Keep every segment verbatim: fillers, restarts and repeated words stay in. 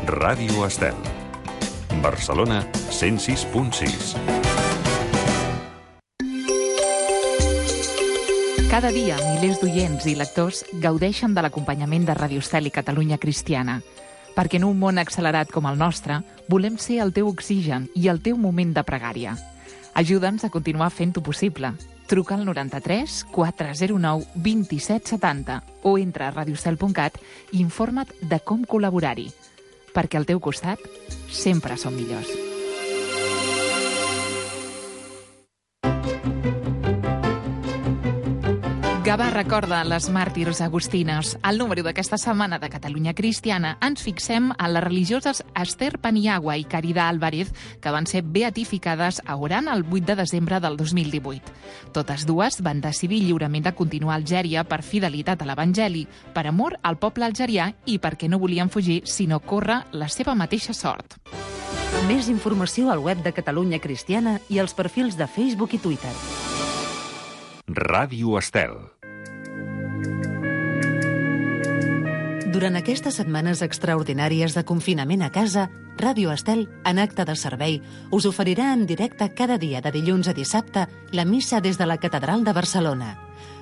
Ràdio Estel. Barcelona, cent sis punt sis. Cada dia, milers d'oients i lectors gaudeixen de l'acompanyament de Ràdio Estel i Catalunya Cristiana. Perquè en un món accelerat com el nostre, volem ser el teu oxigen i el teu moment de pregària. Ajuda'ns a continuar fent-ho possible. Truca al noranta-tres quatre zero nou dos set setanta o entra a radiostel punt cat i informa't de com col·laborar-hi. Perquè al teu costat sempre som millors. Gavà recorda les màrtirs agustines. Al número d'aquesta setmana de Catalunya Cristiana ens fixem en les religioses Esther Paniagua i Caridad Álvarez, que van ser beatificades a Oran el vuit de desembre del dos mil divuit. Totes dues van decidir lliurement de continuar a Algèria per fidelitat a l'Evangeli, per amor al poble algerià i perquè no volien fugir, sinó córrer la seva mateixa sort. Més informació al web de Catalunya Cristiana i als perfils de Facebook i Twitter. Ràdio Estel. Durant aquestes setmanes extraordinàries de confinament a casa, Ràdio Estel, en acte de servei, us oferirà en directe cada dia de dilluns a dissabte la missa des de la Catedral de Barcelona.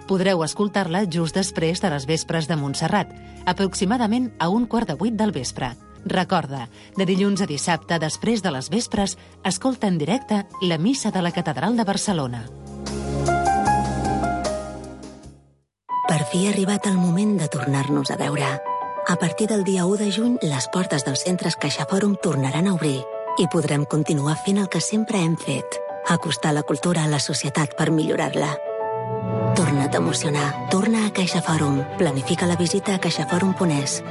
Podreu escoltar-la just després de les vespres de Montserrat, aproximadament a un quart de vuit del vespre. Recorda, de dilluns a dissabte, després de les vespres, escolta en directe la missa de la Catedral de Barcelona. Per fi ha arribat el moment de tornar-nos a veure. A partir del dia u de juny, les portes dels centres CaixaFòrum tornaran a obrir i podrem continuar fent el que sempre hem fet, acostar la cultura a la societat per millorar-la. Torna't a emocionar. Torna a CaixaFòrum. Planifica la visita a caixafòrum punt es.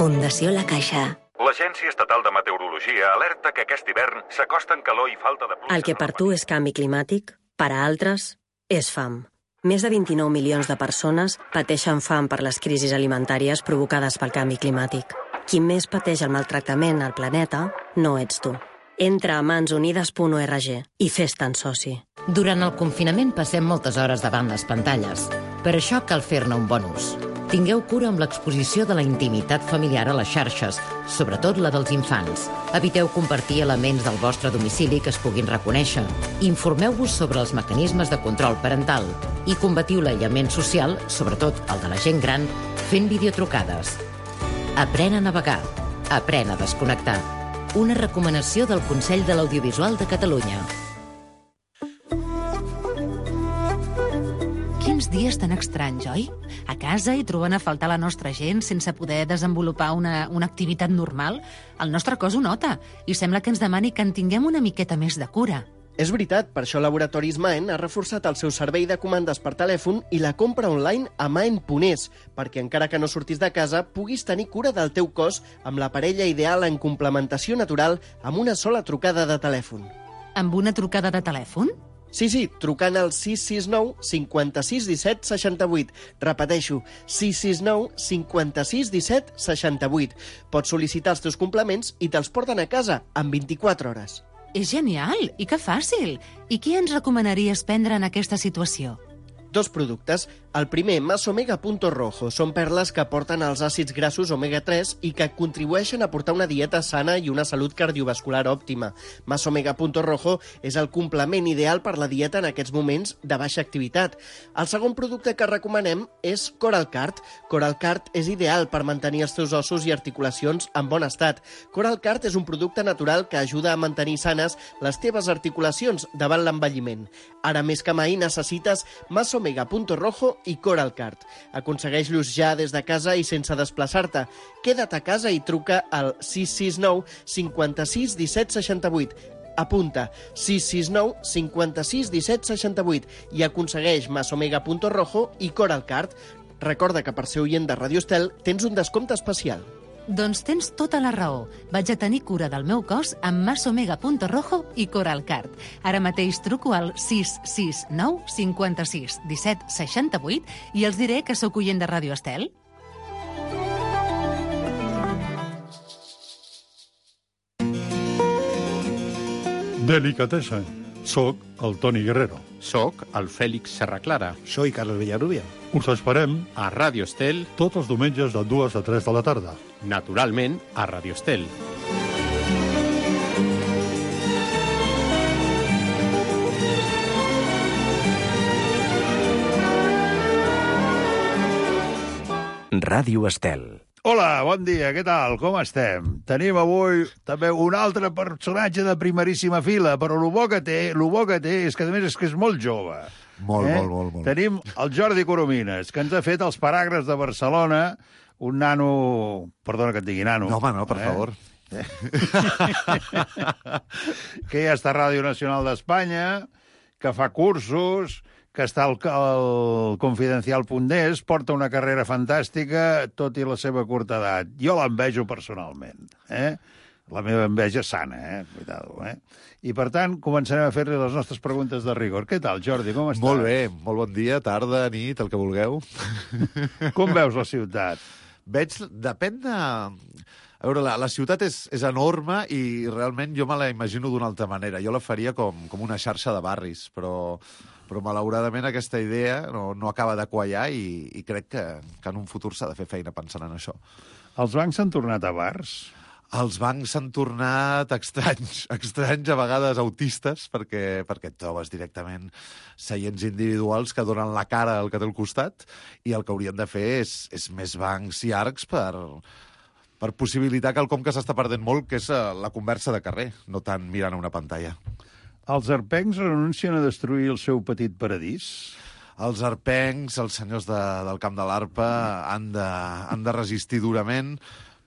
Fundació La Caixa. L'Agència Estatal de Meteorologia alerta que aquest hivern s'acosten calor i falta de pluja. El que per tu és canvi climàtic, per a altres és fam. Més de vint-i-nou milions de persones pateixen fam per les crisis alimentàries provocades pel canvi climàtic. Qui més pateix el maltractament al planeta no ets tu. Entra a mans unides punt org i fes-te'n soci. Durant el confinament passem moltes hores davant les pantalles. Per això cal fer-ne un bon ús. Tingueu cura amb l'exposició de la intimitat familiar a les xarxes, sobretot la dels infants. Eviteu compartir elements del vostre domicili que es puguin reconèixer. Informeu-vos sobre els mecanismes de control parental i combatiu l'aïllament social, sobretot el de la gent gran, fent videotrucades. Aprèn a navegar. Aprèn a desconnectar. Una recomanació del Consell de l'Audiovisual de Catalunya. Quins dies tan estranys, oi? A casa i trobant a faltar la nostra gent sense poder desenvolupar una, una activitat normal, el nostre cos ho nota i sembla que ens demani que en tinguem una miqueta més de cura. És veritat, per això Laboratoris Maen ha reforçat el seu servei de comandes per telèfon i la compra online a maen punt es, perquè encara que no surtis de casa, puguis tenir cura del teu cos amb la parella ideal en complementació natural amb una sola trucada de telèfon. Amb una trucada de telèfon? Sí, sí, trucant al sis sis nou cinquanta sis disset seixanta vuit. Repeteixo, sis sis nou cinquanta sis disset seixanta vuit. Pots sol·licitar els teus complements i te'ls porten a casa en vint-i-quatre hores. És genial! I que fàcil! I què ens recomanaries prendre en aquesta situació? Dos productes. El primer, Masomega Punto Rojo. Són perles que aporten els àcids grassos omega tres i que contribueixen a portar una dieta sana i una salut cardiovascular òptima. Masomega Punto Rojo és el complement ideal per la dieta en aquests moments de baixa activitat. El segon producte que recomanem és Coralcart. Coralcart és ideal per mantenir els teus ossos i articulacions en bon estat. Coralcart és un producte natural que ajuda a mantenir sanes les teves articulacions davant l'envelliment. Ara més que mai necessites Masomega Punto Rojo i Coralcart. Aconsegueix-los ja des de casa i sense desplaçar-te. Queda't a casa i truca al sis sis nou cinquanta sis disset seixanta vuit. Apunta, sis sis nou cinquanta sis disset seixanta vuit i aconsegueix Masomega Punto Rojo i Coralcart. Recorda que per ser oient de Ràdio Estel tens un descompte especial. Doncs tens tota la raó. Vaig a tenir cura del meu cos amb Masomega Punto Rojo i Coralcart. Ara mateix truco al sis sis nou cinquanta sis disset seixanta vuit i els diré que sóc oient de Ràdio Estel. Delicatessa. Soc el Toni Guerrero. Soc el Fèlix Serraclara. Soy Carlos Villarrubia. Us esperem a Ràdio Estel tots els diumenges de dues a tres de la tarda. Naturalment, a Ràdio Estel. Ràdio Estel. Hola, bon dia, què tal? Com estem? Tenim avui també un altre personatge de primeríssima fila, però el bo que té, el bo que té és que, a més, és que és molt jove. Molt, eh? molt, molt, molt. Tenim el Jordi Coromines, que ens ha fet els paràgrafs de Barcelona, un nano... Perdona que et digui nano. No, home, no, per eh? favor. Que ja està a Ràdio Nacional d'Espanya, que fa cursos, que està al, al confidencial punt es, porta una carrera fantàstica, tot i la seva curta edat. Jo l'envejo personalment, eh? La meva enveja sana, eh? Cuidado, eh? I, per tant, començarem a fer-li les nostres preguntes de rigor. Què tal, Jordi, com estàs? Molt bé, molt bon dia, tarda, nit, el que vulgueu. Com veus la ciutat? Veig, depèn de... A veure, la, la ciutat és, és enorme i realment jo me la imagino d'una altra manera. Jo la faria com, com una xarxa de barris, però... però malauradament aquesta idea no, no acaba de quallar i, i crec que, que en un futur s'ha de fer feina pensant en això. Els bancs s'han tornat a bars? Els bancs s'han tornat estranys, estranys, a vegades autistes, perquè, perquè et trobes directament seients individuals que donen la cara al que té al costat i el que haurien de fer és, és més bancs llargs per, per possibilitar quelcom que s'està perdent molt, que és la conversa de carrer, no tant mirant a una pantalla. Els arpencs renuncien a destruir el seu petit paradís? Els arpencs, els senyors de, del Camp de l'Arpa, han de, han de resistir durament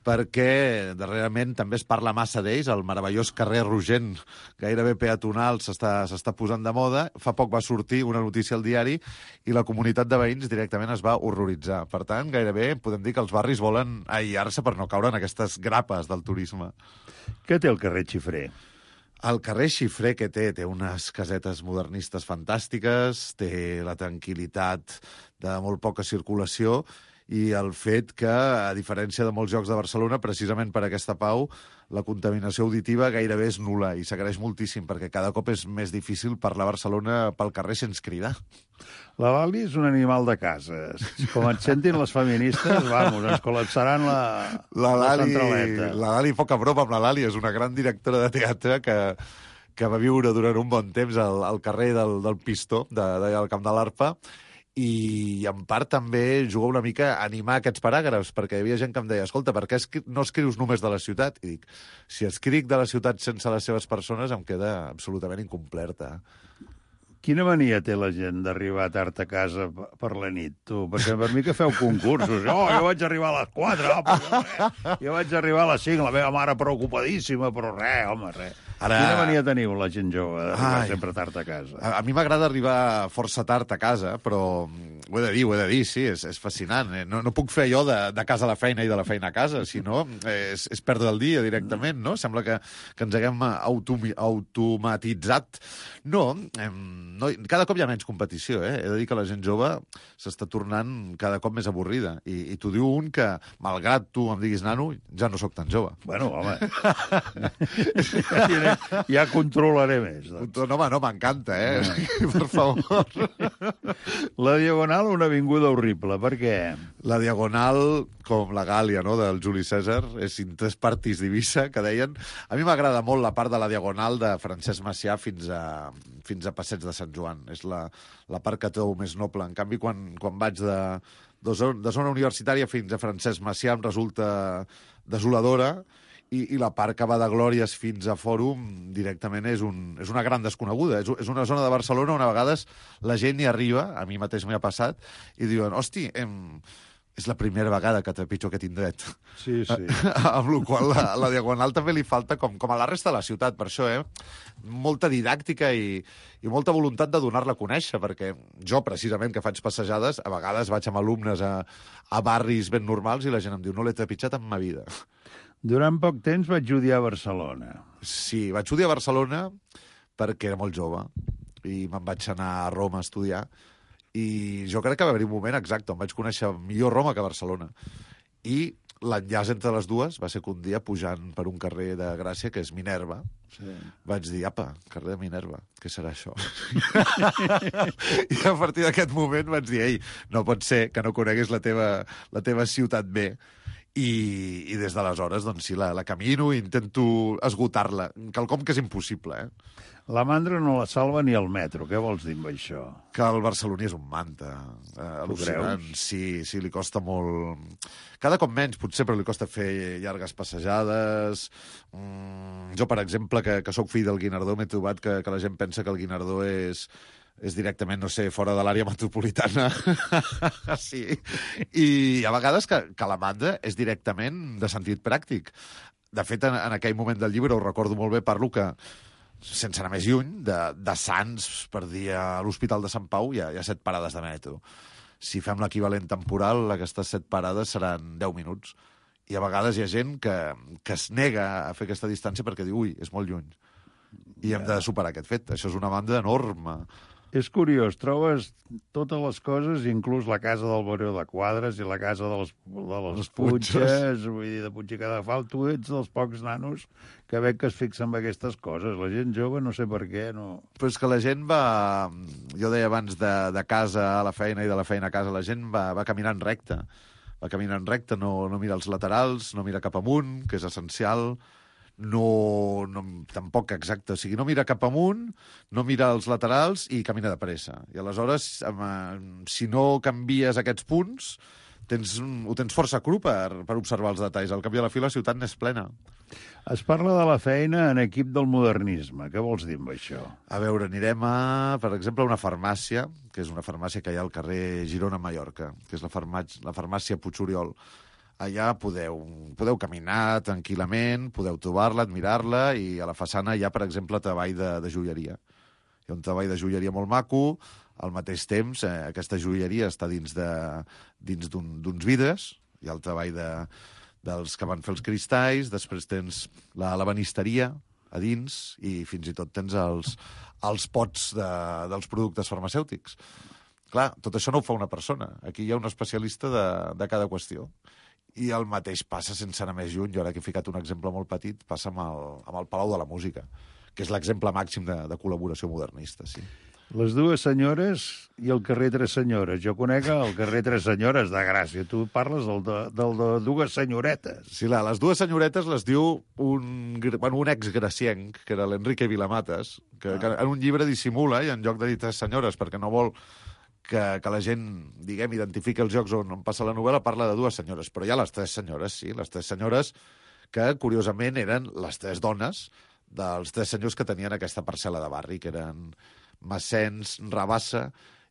perquè darrerament també es parla massa d'ells. El meravellós carrer Rogent, gairebé peatonal, s'està s'està posant de moda. Fa poc va sortir una notícia al diari i la comunitat de veïns directament es va horroritzar. Per tant, gairebé podem dir que els barris volen aïllar-se per no caure en aquestes grapes del turisme. Què té el carrer Xifré? El carrer Xifré que té, té unes casetes modernistes fantàstiques, té la tranquil·litat de molt poca circulació i el fet que, a diferència de molts llocs de Barcelona, precisament per aquesta pau, la contaminació auditiva gairebé és nul·la i s'agraeix moltíssim perquè cada cop és més difícil parlar a Barcelona pel carrer sense cridar. La Lali és un animal de cases. Com et sentin les feministes, vamos, ens col·lapsaran la, la, la Lali, centraleta. La Lali, poca broma amb la Lali, és una gran directora de teatre que, que va viure durant un bon temps al, al carrer del, del Pistó, de, de, del Camp de l'Arpa, i en part també jugar una mica a animar aquests paràgrafs, perquè hi havia gent que em deia, escolta, per què no escrius només de la ciutat? I dic, si escric de la ciutat sense les seves persones em queda absolutament incomplerta. Quina mania té la gent d'arribar tard a casa per la nit, tu? Perquè per mi que feu concursos. Oh, jo vaig arribar a les quatre, oh, però res. Jo vaig arribar a les cinc, la meva mare preocupadíssima, però res, home, res. Ara... Quina mania teniu, la gent jove, d'arribar sempre tard a casa? A, a mi m'agrada arribar força tard a casa, però ho he de dir, ho he de dir, sí, és, és fascinant. No, no puc fer allò de, de casa a la feina i de la feina a casa, sinó és, és perdre el dia directament, no? Sembla que, que ens haguem autom automatitzat. No, no, cada cop hi ha menys competició, eh? He de dir que la gent jove s'està tornant cada cop més avorrida. I, i t'ho diu un que, malgrat tu em diguis nano, ja no sóc tan jove. Bueno, home... Ja controlaré més, doncs. No, home, no, m'encanta, eh? No. Per favor. La Diagonal, una avinguda horrible. Per què? La Diagonal, com la Gàlia, no?, del Juli César, és in tres partis d'Ibissa, que deien... A mi m'agrada molt la part de la Diagonal de Francesc Macià fins a, fins a Passeig de Sant Joan. És la, la part que trobo més noble. En canvi, quan, quan vaig de, de, zona, de zona universitària fins a Francesc Macià em resulta desoladora. I, i la part que va de Glòries fins a Fòrum directament és, un, és una gran desconeguda. És, és una zona de Barcelona on a vegades la gent hi arriba, a mi mateix m'hi ha passat, i diuen, hosti, em, és la primera vegada que trepitjo aquest indret. Sí, sí. Amb la qual la, la Diagonal també li falta, com, com a la resta de la ciutat, per això, eh? Molta didàctica i, i molta voluntat de donar-la a conèixer, perquè jo, precisament, que faig passejades, a vegades vaig amb alumnes a, a barris ben normals i la gent em diu, no l'he trepitjat en ma vida. Durant poc temps vaig odiar Barcelona. Sí, vaig odiar Barcelona perquè era molt jove i me'n vaig anar a Roma a estudiar i jo crec que va haver un moment exacte on vaig conèixer millor Roma que Barcelona. I l'enllaç entre les dues va ser que un dia, pujant per un carrer de Gràcia, que és Minerva, sí. vaig dir, apa, carrer de Minerva, què serà això? I a partir d'aquest moment vaig dir, ei, no pot ser que no coneguis la teva, la teva ciutat bé. I, i des d'aleshores, doncs sí, la, la camino i intento esgotar-la. Quelcom que és impossible, eh? La mandra no la salva ni el metro. Què vols dir amb això? Que el barceloní és un manta. Eh, al·lucinant. Sí, sí, li costa molt... Cada cop menys, potser, però li costa fer llargues passejades. Mm, jo, per exemple, que, que sóc fill del Guinardó, m'he trobat que, que la gent pensa que el Guinardó és... és directament, no sé, fora de l'àrea metropolitana. Sí. I a vegades que, que la mandra és directament de sentit pràctic. De fet, en, en aquell moment del llibre, ho recordo molt bé, parlo que, sense anar més lluny, de, de Sants per dir a l'Hospital de Sant Pau hi ha, hi ha set parades de metro. Si fem l'equivalent temporal, aquestes set parades seran deu minuts. I a vegades hi ha gent que, que es nega a fer aquesta distància perquè diu, ui, és molt lluny. I hem de superar aquest fet. Això és una banda enorme. És curiós, trobes totes les coses, inclús la casa del Baró de Quadres i la casa de les, de les Punxes, vull dir, de Puig i Cadafal, tu ets dels pocs nanos que veig que es fixen en aquestes coses. La gent jove, no sé per què, no... Però és que la gent va... Jo deia abans de, de casa a la feina i de la feina a casa, la gent va, va caminant recte. Va caminant recte, no, no mira els laterals, no mira cap amunt, que és essencial... No, no, tampoc exacte, o sigui, no mira cap amunt, no mira els laterals i camina de pressa. I aleshores, si no canvies aquests punts, tens, ho tens força cru per, per observar els detalls. Al cap i a la fi, la ciutat n'és plena. Es parla de la feina en equip del modernisme. Què vols dir amb això? A veure, anirem a, per exemple, a una farmàcia, que és una farmàcia que hi ha al carrer Girona, Mallorca, que és la, farmàcia, la farmàcia Puig-Oriol. Allà podeu, podeu caminar tranquil·lament, podeu trobar-la, admirar-la, i a la façana hi ha, per exemple, treball de, de joieria. Hi ha un treball de joieria molt maco, al mateix temps eh, aquesta joieria està dins de, dins d'uns vidres, hi ha el treball de, dels que van fer els cristalls, després tens la, la banisteria a dins, i fins i tot tens els, els pots de, dels productes farmacèutics. Clar, tot això no ho fa una persona. Aquí hi ha un especialista de, de cada qüestió. I el mateix passa, sense anar més lluny, jo ara que he ficat un exemple molt petit, passa amb el, amb el Palau de la Música, que és l'exemple màxim de, de col·laboració modernista, sí. Les dues senyores i el carrer Tres Senyores. Jo conec el carrer Tres Senyores de Gràcia. Tu parles del de, del de dues senyoretes. Sí, la, les dues senyoretes les diu un, bueno, un ex-gracienc, que era l'Enrique Vilamatas, que, ah. que en un llibre dissimula, i en lloc de dir tres senyores, perquè no vol... Que, que la gent, diguem, identifica els llocs on, on passa la novel·la, parla de dues senyores. Però hi ha les tres senyores, sí, les tres senyores que, curiosament, eren les tres dones dels tres senyors que tenien aquesta parcel·la de barri, que eren Massens, Rabassa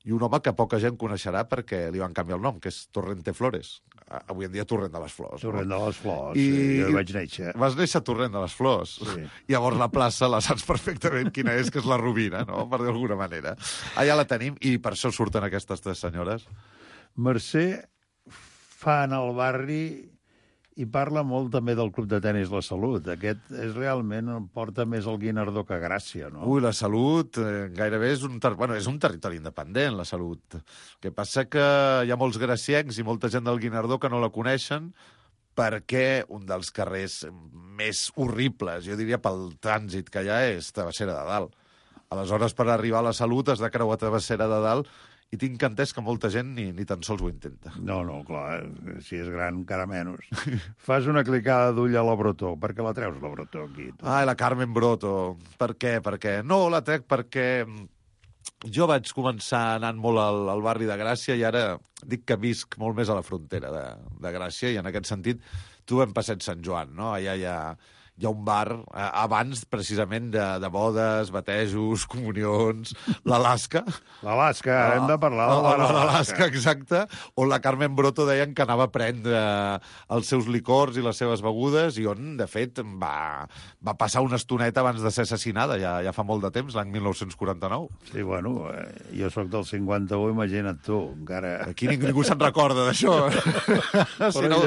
i un home que poca gent coneixerà perquè li van canviar el nom, que és Torrente Flores. Avui en dia Torrent de les Flors. Torrent no? de les Flors, I... sí, jo hi vaig néixer. Vas néixer a Torrent de les Flors. Sí. Llavors la plaça la saps perfectament quina és, que és la Rovira, no? Per dir d'alguna manera. Allà la tenim i per això surten aquestes tres senyores. Mercè fa en el barri i parla molt també del Club de Tenis La Salut. Aquest és realment, porta més el Guinardó que Gràcia, no? Ui, La Salut eh, gairebé és un, ter... bueno, és un territori independent, La Salut. El que passa que hi ha molts graciencs i molta gent del Guinardó que no la coneixen perquè un dels carrers més horribles, jo diria pel trànsit que hi ha, és Travessera de Dalt. Aleshores, per arribar a La Salut has de creuar Travessera de Dalt i tinc entès que molta gent ni, ni tan sols ho intenta. No, no, clar, si és gran, encara menys. Fas una clicada d'ull a la Brotó. Per què la treus, la Brotó, aquí? Tu? Ah, la Carmen Broto. Per què? Per què? No, la trec perquè jo vaig començar anant molt al, al barri de Gràcia i ara dic que visc molt més a la frontera de, de Gràcia i en aquest sentit trobem Passeig Sant Joan, no? Allà hi ha... hi ha un bar, eh, abans, precisament, de, de bodes, batejos, comunions, l'Alaska. L'Alaska, ah, hem de parlar de l'Alaska. L'Alaska, exacte, on la Carmen Broto deien que anava a prendre els seus licors i les seves begudes i on, de fet, va, va passar una estoneta abans de ser assassinada, ja, ja fa molt de temps, l'any mil nou-cents quaranta-nou. Sí, bueno, eh, jo sóc del cinquanta-u, imagina't tu, encara... Aquí ningú, ningú se'n recorda d'això. Si no...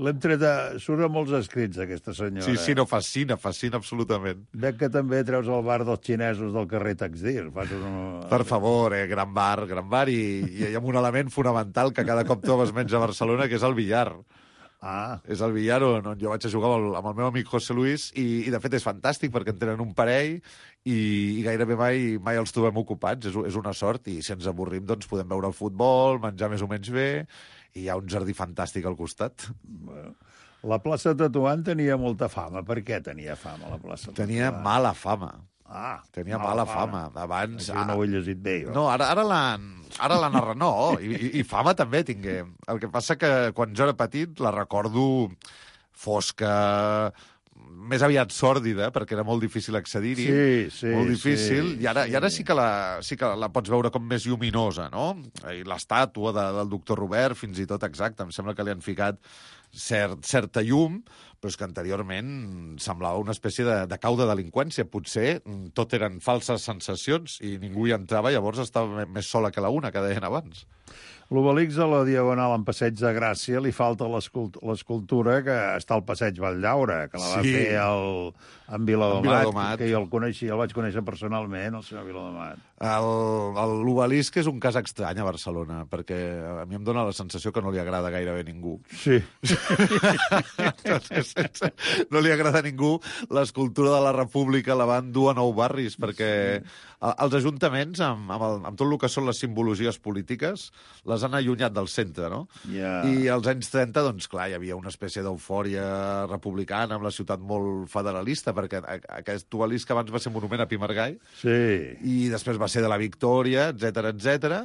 L'hem tret a... Surt a molts escrits, aquesta senyora. Sí, sí, no, fascina, fascina absolutament. Veig que també treus el bar dels xinesos del carrer Taxdir. Fas un... Per favor, eh, gran bar, gran bar, i, i hi ha un element fonamental que cada cop trobes menys a Barcelona, que és el billar. Ah. És el billar on, on jo vaig a jugar amb el, amb el meu amic José Luis i, i de fet és fantàstic perquè en tenen un parell i, i gairebé mai, mai els trobem ocupats. És, és una sort i si ens avorrim doncs podem veure el futbol, menjar més o menys bé i hi ha un jardí fantàstic al costat. Bueno, la plaça Tetuan tenia molta fama. Per què tenia fama la plaça Tetuan? Tenia mala fama. Ah, tenia mala, mala fama. fama. Abans... Aquí no ho he llegit bé, jo. No, ara, ara l'han... Ara l'han arreglat. No, i, i, i fama també tingué. El que passa que quan jo era petit la recordo fosca, més aviat sòrdida, perquè era molt difícil accedir-hi. Sí, sí, molt difícil. sí. I ara, sí. I ara sí, que la, sí que la pots veure com més lluminosa, no? I l'estàtua de, del doctor Robert, fins i tot, exacte. Em sembla que li han ficat cert, certa llum, però és que anteriorment semblava una espècie de, de cau de delinqüència. Potser tot eren falses sensacions i ningú hi entrava, llavors estava més sola que la una, que deien abans. L'Obelix a la Diagonal en Passeig de Gràcia li falta l'escultura que està al Passeig Valldaura, que la va Sí. fer el, en Viladomat, Viladomat, que jo el coneixia, el vaig conèixer personalment, el senyor Viladomat. L'Obelisc és un cas estrany a Barcelona, perquè a mi em dóna la sensació que no li agrada gairebé a ningú. Sí. No li agrada a ningú. L'escultura de la República la van dur a nou barris, perquè els ajuntaments, amb, amb, el, amb tot el que són les simbologies polítiques, les han allunyat del centre, no? Yeah. I als anys trenta, doncs, clar, hi havia una espècie d'eufòria republicana amb la ciutat molt federalista, perquè aquest obelisc abans va ser monument a Pi Margall, sí. i després va ser de la Victòria, etcètera, etcètera,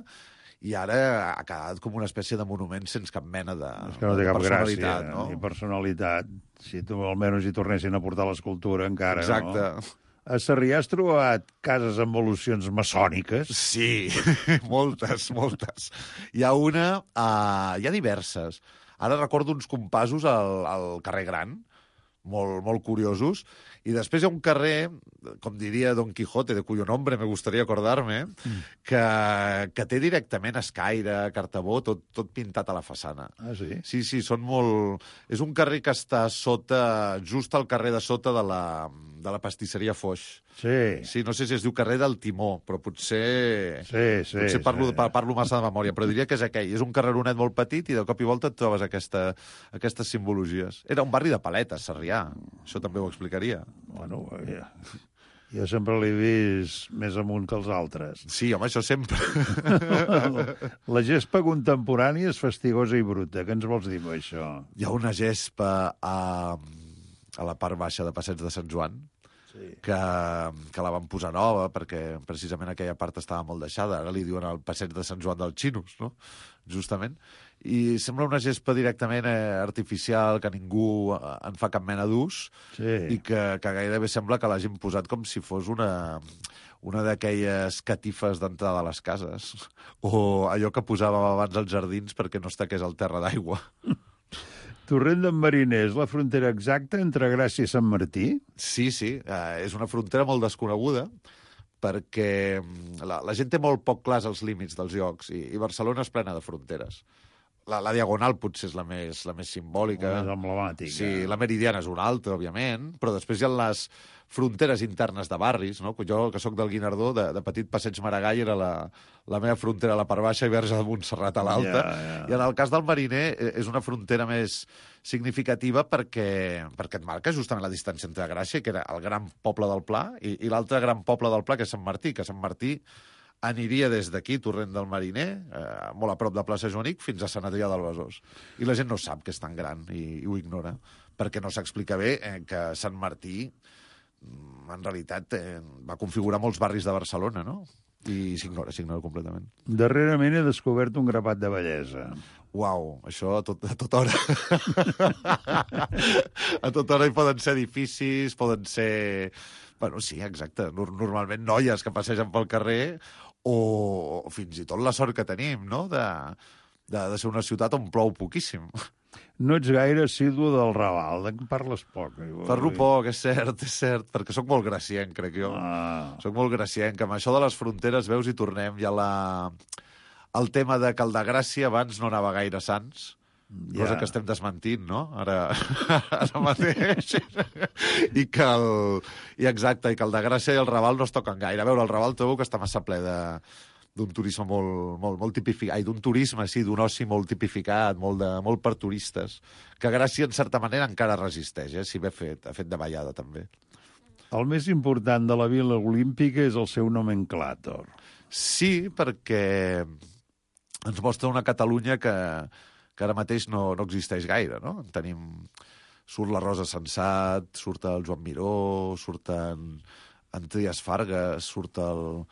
i ara ha quedat com una espècie de monument sense cap mena de, és que no té de cap personalitat. gràcia, No? ni personalitat. Si tu almenys hi tornessin a portar l'escultura encara, Exacte. no? A Sarrià has trobat cases amb evolucions maçòniques? Sí, moltes, moltes. Hi ha una... Uh, hi ha diverses. Ara recordo uns compassos al, al carrer Gran, molt, molt curiosos, i després hi ha un carrer, com diria Don Quijote, de cuyo nombre me gustaría acordarme, mm. que, que té directament escaire, cartabó, tot, tot pintat a la façana. Ah, sí? Sí, sí, són molt... És un carrer que està sota, just al carrer de sota de la, de la pastisseria Foix. Sí. Sí, no sé si es diu carrer del Timó, però potser... Sí, sí. Potser parlo, sí. parlo massa de memòria, però diria que és aquell. És un carreronet molt petit i de cop i volta et trobes aquesta, aquestes simbologies. Era un barri de paletes, Sarrià. Això també ho explicaria. Bueno, ja. Jo sempre l'he vist més amunt que els altres. Sí, home, això sempre. La gespa contemporània és fastigosa i bruta. Què ens vols dir amb això? Hi ha una gespa a, a la part baixa de Passeig de Sant Joan, sí. que, que la van posar nova perquè precisament aquella part estava molt deixada. Ara li diuen el Passeig de Sant Joan dels Xinos, no? Justament. I sembla una gespa directament eh, artificial, que ningú eh, en fa cap mena d'ús, sí. i que, que gairebé sembla que l'hagin posat com si fos una, una d'aquelles catifes d'entrada a les cases, o allò que posàvem abans als jardins perquè no es taqués el terra d'aigua. Torrent d'en Mariner és la frontera exacta entre Gràcia i Sant Martí? Sí, sí, eh, és una frontera molt desconeguda, perquè la, la gent té molt poc clars els límits dels llocs, i, i Barcelona és plena de fronteres. La, la Diagonal potser és la més, la més simbòlica. La més emblemàtica. Sí, la Meridiana és una altra, òbviament, però després hi ha les fronteres internes de barris, no? Jo, que sóc del Guinardó, de, de petit Passeig Maragall era la, la meva frontera a la part baixa i Verge de Montserrat a l'alta. Yeah, yeah. I en el cas del Mariner és una frontera més significativa perquè, perquè et marca justament la distància entre Gràcia, que era el gran poble del Pla, i, i l'altre gran poble del Pla, que és Sant Martí, que Sant Martí aniria des d'aquí, Torrent del Mariner, eh, molt a prop de plaça Joanic, fins a Sant Adrià del Besòs. I la gent no sap que és tan gran i, i ho ignora, perquè no s'explica bé eh, que Sant Martí, en realitat, eh, va configurar molts barris de Barcelona, no? I s'ignora, s'ignora completament. Darrerament he descobert un grapat de bellesa. Uau, això a, tot, a tota hora. A tota hora hi poden ser edificis, poden ser... Bueno, sí, exacte. Normalment noies que passegen pel carrer o fins i tot la sort que tenim, no?, de, de, de ser una ciutat on plou poquíssim. No ets gaire assidu del Raval, en parles poc. Parlo poc, és cert, és cert, perquè sóc molt gracienc, crec jo. Ah. Soc molt gracienc. Amb això de les fronteres, veus, i tornem ja la... el tema de que el de Gràcia abans no anava gaire a Sants, cosa Ja. que estem desmentint, no?, ara, ara mateix. I que el... I exacte, i que el de Gràcia i el Raval no es toquen gaire. A veure, el Raval trobo que està massa ple de, d'un turisme molt, molt, molt tipificat, ai, d'un turisme, sí, d'un oci molt tipificat, molt, de, molt per turistes, que Gràcia, en certa manera, encara resisteix, eh, si bé fet, ha fet de ballada, també. El més important de la Vila Olímpica és el seu nomenclàtor. Sí, perquè ens mostra una Catalunya que, que ara mateix no, no existeix gaire, no? Tenim... Surt la Rosa Sensat, surt el Joan Miró, surten en Trias Fargas, surt el,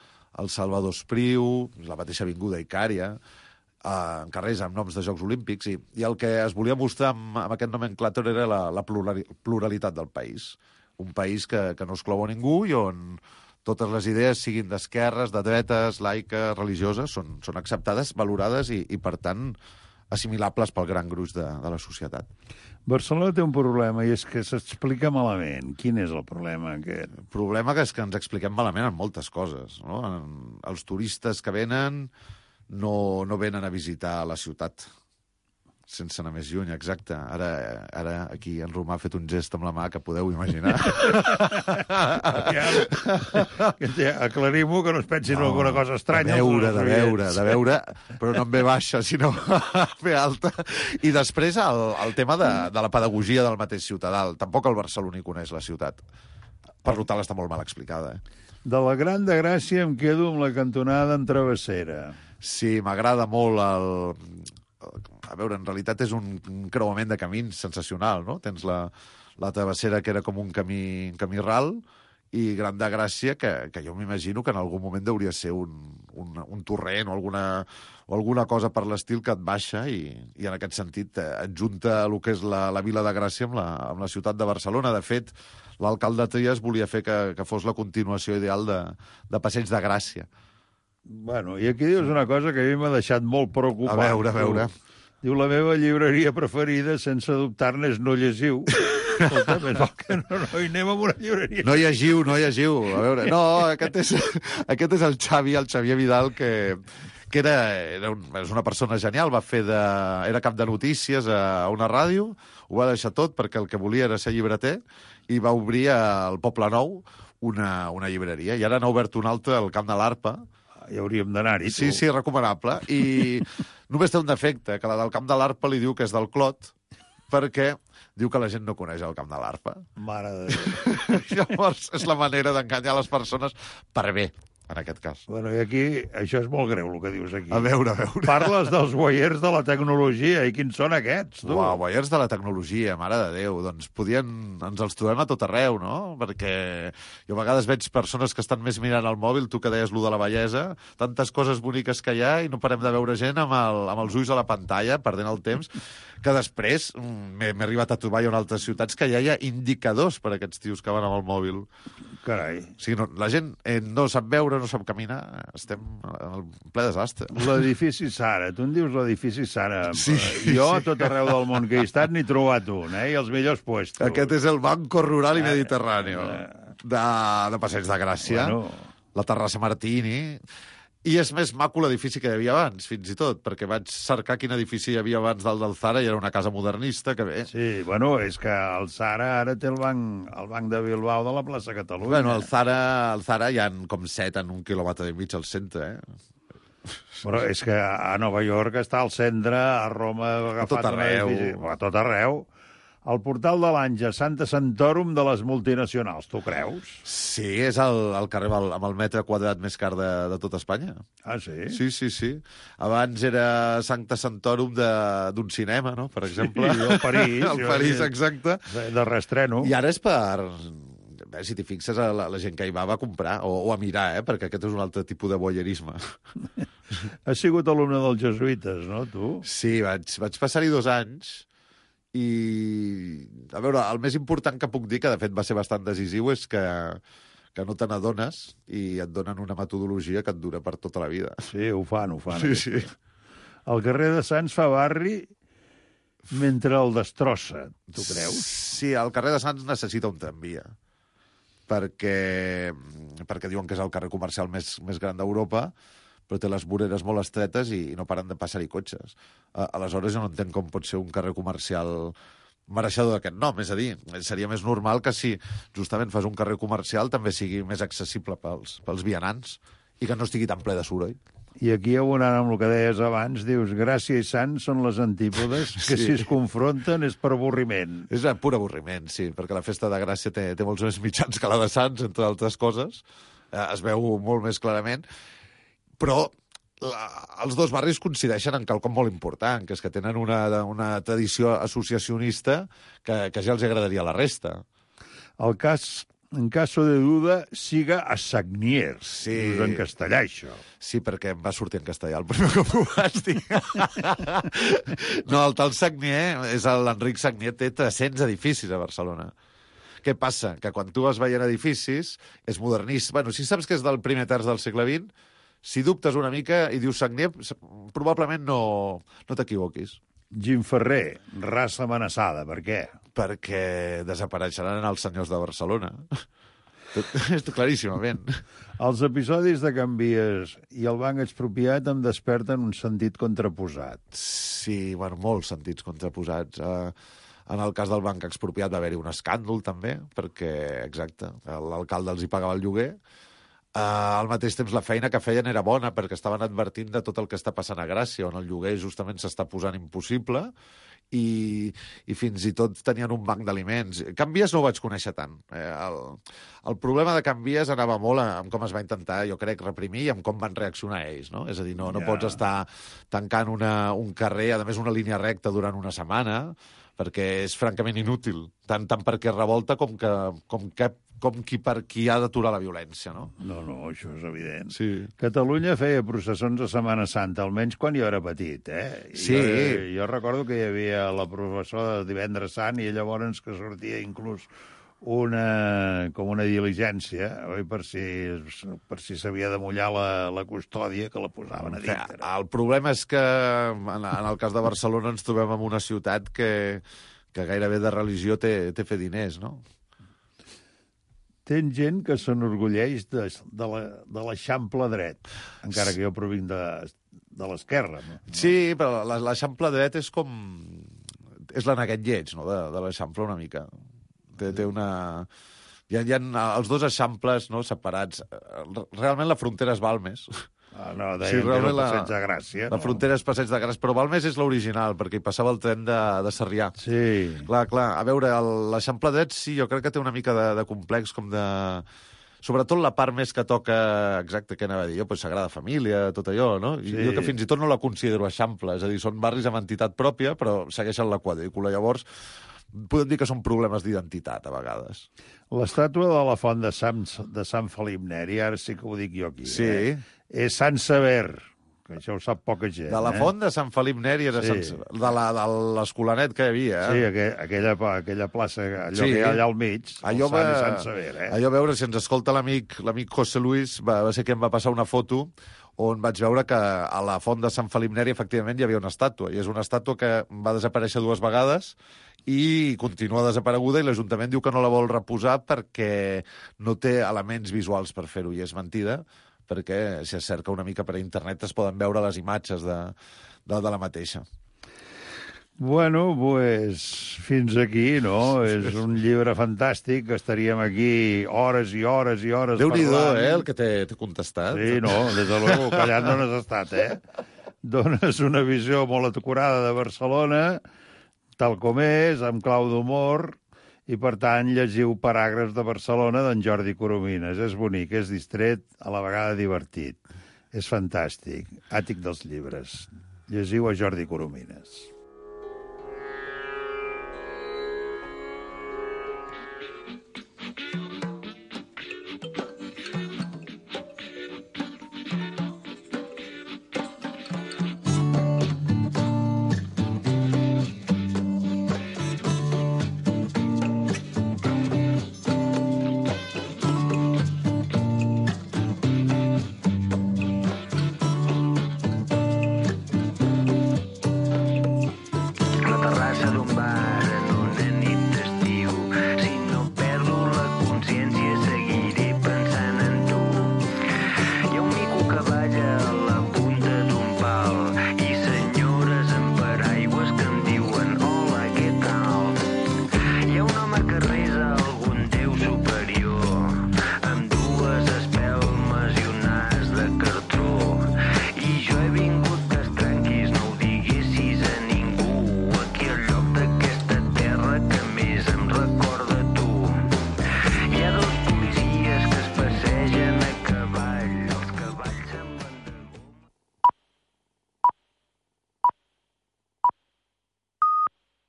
el Salvador Espriu, la mateixa Avinguda Icària, eh, en carrers amb noms de Jocs Olímpics, i, i el que es volia mostrar amb, amb aquest nomenclàtor era la, la pluralitat del país. Un país que, que no exclou a ningú i on totes les idees, siguin d'esquerres, de dretes, laiques, religioses, són, són acceptades, valorades i, i, per tant, assimilables pel gran gruix de, de la societat. Barcelona té un problema, i és que s'explica malament. Quin és el problema aquest? El problema que és que ens expliquem malament en moltes coses, no? En, els turistes que venen no, no venen a visitar la ciutat, sense anar més lluny, exacte. Ara, ara aquí en Romà ha fet un gest amb la mà que podeu imaginar. Aclarim-ho, que no es pensin no, alguna cosa estranya. De veure, de veure, de veure, però no en ve baixa, sinó ve alta. I després el, el tema de, de la pedagogia del mateix ciutadà. Tampoc el barceloní coneix la ciutat. Per tant, està molt mal explicada. Eh? De la Gran de Gràcia em quedo amb la cantonada en Travessera. Sí, m'agrada molt el... A veure, en realitat és un, un creuament de camins sensacional, no? Tens la, la Travessera, que era com un camí, un camí ral, i Gran de Gràcia, que, que jo m'imagino que en algun moment hauria ser un, un, un torrent o alguna, o alguna cosa per l'estil que et baixa i, i en aquest sentit et junta el que és la, la Vila de Gràcia amb la, amb la ciutat de Barcelona. De fet, l'alcalde Trias volia fer que, que fos la continuació ideal de, de Passeig de Gràcia. Bueno, i aquí dius una cosa que a mi m'ha deixat molt preocupat. A veure, a veure. Diu, la meva llibreria preferida, sense dubtar-ne, és No Llegiu. Escolta, més val que no, no hi anem amb una llibreria. No llegiu, no llegiu. A veure, no, aquest és, aquest és el Xavi, el Xavier Vidal, que, que era, era un, és una persona genial, va fer de, era cap de notícies a una ràdio, ho va deixar tot perquè el que volia era ser llibreter, i va obrir al Poble Nou una, una llibreria. I ara n'ha obert una altra al Camp de l'Arpa. Hi hauríem d'anar-hi, tu. Sí, sí, recomanable. I només té un defecte, que la del Camp de l'Arpa li diu que és del Clot, perquè diu que la gent no coneix el Camp de l'Arpa. Mare de Déu. Llavors, és la manera d'enganyar les persones per bé, en aquest cas. Bueno, i aquí, això és molt greu, el que dius aquí. A veure, a veure. Parles dels guaiers de la tecnologia, i quins són aquests, tu? Uau, guaiers de la tecnologia, mare de Déu. Doncs podien... Ens els trobem a tot arreu, no? Perquè jo a vegades veig persones que estan més mirant el mòbil, tu que deies lo de la bellesa, tantes coses boniques que hi ha i no parem de veure gent amb, el, amb els ulls a la pantalla, perdent el temps, que després m'he arribat a trobar en altres ciutats que ja hi ha indicadors per a aquests tios que van amb el mòbil. Carai. O sigui, no, la gent eh, no sap veure, no sap caminar, estem en el ple desastre. L'edifici Sara, tu en dius l'edifici Sara. Sí, jo sí. A tot arreu del món que he estat n'he trobat un, eh? I els millors puestos. Aquest és el Banco Rural i Mediterrani de, de Passeig de Gràcia, bueno. La Terrassa Martini. I és més maco l'edifici que hi havia abans, fins i tot, perquè vaig cercar quin edifici hi havia abans del del Zara i era una casa modernista que bé. Sí, bueno, és que el Zara ara té el banc, el banc de Bilbao de la plaça Catalunya. Bueno, el Zara, el Zara hi ha com set en un quilòmetre i mig al centre, eh? Però és que a Nova York està al centre, a Roma ha agafat a tot arreu. Edifici, a tot arreu. El portal de l'Anja, Santa Santorum de les multinacionals, tu creus? Sí, és el, el carrer amb el, amb el metre quadrat més car de, de tot Espanya. Ah, sí? Sí, sí, sí. Abans era Santa Santorum d'un cinema, no?, per exemple. Sí, el París. El París, exacte. De reestreno. I ara és per... Bé, si t'hi fixes, la, la gent que hi va va a comprar, o, o a mirar, eh?, perquè aquest és un altre tipus de voyeurisme. Has sigut alumne dels jesuïtes, no, tu? Sí, vaig, vaig passar-hi dos anys. I, a veure, el més important que puc dir, que de fet va ser bastant decisiu, és que, que no te n'adones i et donen una metodologia que et dura per tota la vida. Sí, ho fan, ho fan. Sí, sí. El carrer de Sants fa barri mentre el destrossa, tu creus? Sí, el carrer de Sants necessita un tramvia, perquè, perquè diuen que és el carrer comercial més, més gran d'Europa, però té les voreres molt estretes i no paren de passar-hi cotxes. Aleshores, jo no entenc com pot ser un carrer comercial mereixedor d'aquest nom. És a dir, seria més normal que si justament fas un carrer comercial també sigui més accessible pels, pels vianants i que no estigui tan ple de soroll. I aquí, abonant amb el que deies abans, dius, gràcia i sant són les antípodes, que Sí. si es confronten és per avorriment. És un pur avorriment, sí, perquè la festa de Gràcia té, té molts més mitjans que la de Sants, entre altres coses. Eh, es veu molt més clarament. Però la, els dos barris coincideixen en quelcom molt important, que és que tenen una, una tradició associacionista que, que ja els agradaria a la resta. El cas, en caso de duda, siga a Sagniers. Sí. Dius en castellà, això. Sí, perquè em va sortir en castellà el primer cop ho vaig dir. No, el tal Sagnier, és l'Enric Sagnier, té tres-cents edificis a Barcelona. Què passa? Que quan tu vas veient edificis, és modernista. Bueno, si saps que és del primer terç del segle vint, si dubtes una mica i dius Sagnier, probablement no, no t'equivoquis. Jim Ferrer, raça amenaçada, per què? Perquè desapareixeran els senyors de Barcelona. És claríssimament. Els episodis de Can Vies i el Banc Expropiat em desperten un sentit contraposat. Sí, bueno, molts sentits contraposats. Uh, en el cas del Banc Expropiat va haver-hi un escàndol, també, perquè, exacte, l'alcalde els hi pagava el lloguer. Uh, al mateix temps, la feina que feien era bona, perquè estaven advertint de tot el que està passant a Gràcia, on el lloguer justament s'està posant impossible, i, i fins i tot tenien un banc d'aliments. Can Vies no ho vaig conèixer tant. Eh, el, el problema de Can Vies anava molt amb com es va intentar, jo crec, reprimir i amb com van reaccionar ells, no? És a dir, no, no Ja. pots estar tancant una, un carrer, a més una línia recta durant una setmana, perquè és francament inútil, tant, tant perquè revolta com, que, com, que, com qui per qui ha d'aturar la violència, no? No, no, això és evident. Sí. Catalunya feia processons a Setmana Santa, almenys quan jo era petit, eh? Sí. Jo, jo recordo que hi havia la professora de Divendres Sant i llavors que sortia inclús una, com una diligència, oi? Per si, per si s'havia de mullar la, la custòdia, que la posaven a dintre. El problema és que, en, en el cas de Barcelona, ens trobem en una ciutat que, que gairebé de religió té, té fer diners, no? Tens gent que s'enorgulleix de, de la- de l'Eixample dret, encara que jo provinc de, de l'esquerra. No? Sí, però la- l'Eixample dret és com... És l'aneguet lleig, no?, de, de l'Eixample una mica. Té, té una... Hi ha, hi ha els dos eixamples, no?, separats. Realment la frontera és Balmes. Ah, no, deien que era el Passeig de Gràcia. La no? frontera és Passeig de Gràcia, però Balmes és l'original, perquè hi passava el tren de, de Sarrià. Sí. Clar, clar. A veure, el- l'Eixample dret sí, jo crec que té una mica de, de complex, com de... Sobretot la part més que toca, exacte, què anava a dir jo, pues, Sagrada Família, tot allò, no? I Sí. jo que fins i tot no la considero Eixample, és a dir, són barris amb entitat pròpia, però segueixen la quadrícula. Llavors, podem dir que són problemes d'identitat, a vegades. L'estàtua de la font de Sant, de Sant Felip Neri, ara sí que ho dic jo aquí, Sí. eh? És Sant Sever, que això ho sap poca gent. De la eh? font de Sant Felip Neri era Sí. Sant... de la- de l'escolanet que hi havia, eh? Sí, aquella, aquella, aquella plaça, allò Sí. que hi ha allà al mig, Allò el Sant va... i Sant Sever, eh? Allò a veure, si ens escolta l'amic l'amic José Luis, va, va ser qui em va passar una foto on vaig veure que a la font de Sant Felip Neri efectivament hi havia una estàtua, i és una estàtua que va desaparèixer dues vegades i continua desapareguda, i l'Ajuntament diu que no la vol reposar perquè no té elements visuals per fer-ho, i és mentida, perquè si es cerca una mica per internet es poden veure les imatges de, de, de la mateixa. Bueno, pues, fins aquí, no? És un llibre fantàstic, que estaríem aquí hores i hores i hores Déu-n'hi-do, parlant. eh, el que t'he contestat. Sí, no, des de luego, callant no n'has estat, eh? Dones una visió molt acurada de Barcelona, tal com és, amb clau d'humor, i, per tant, llegiu Paràgrafs de Barcelona d'en Jordi Coromines. És bonic, és distret, a la vegada divertit. És fantàstic. Àtic dels llibres. Llegiu a Jordi Coromines.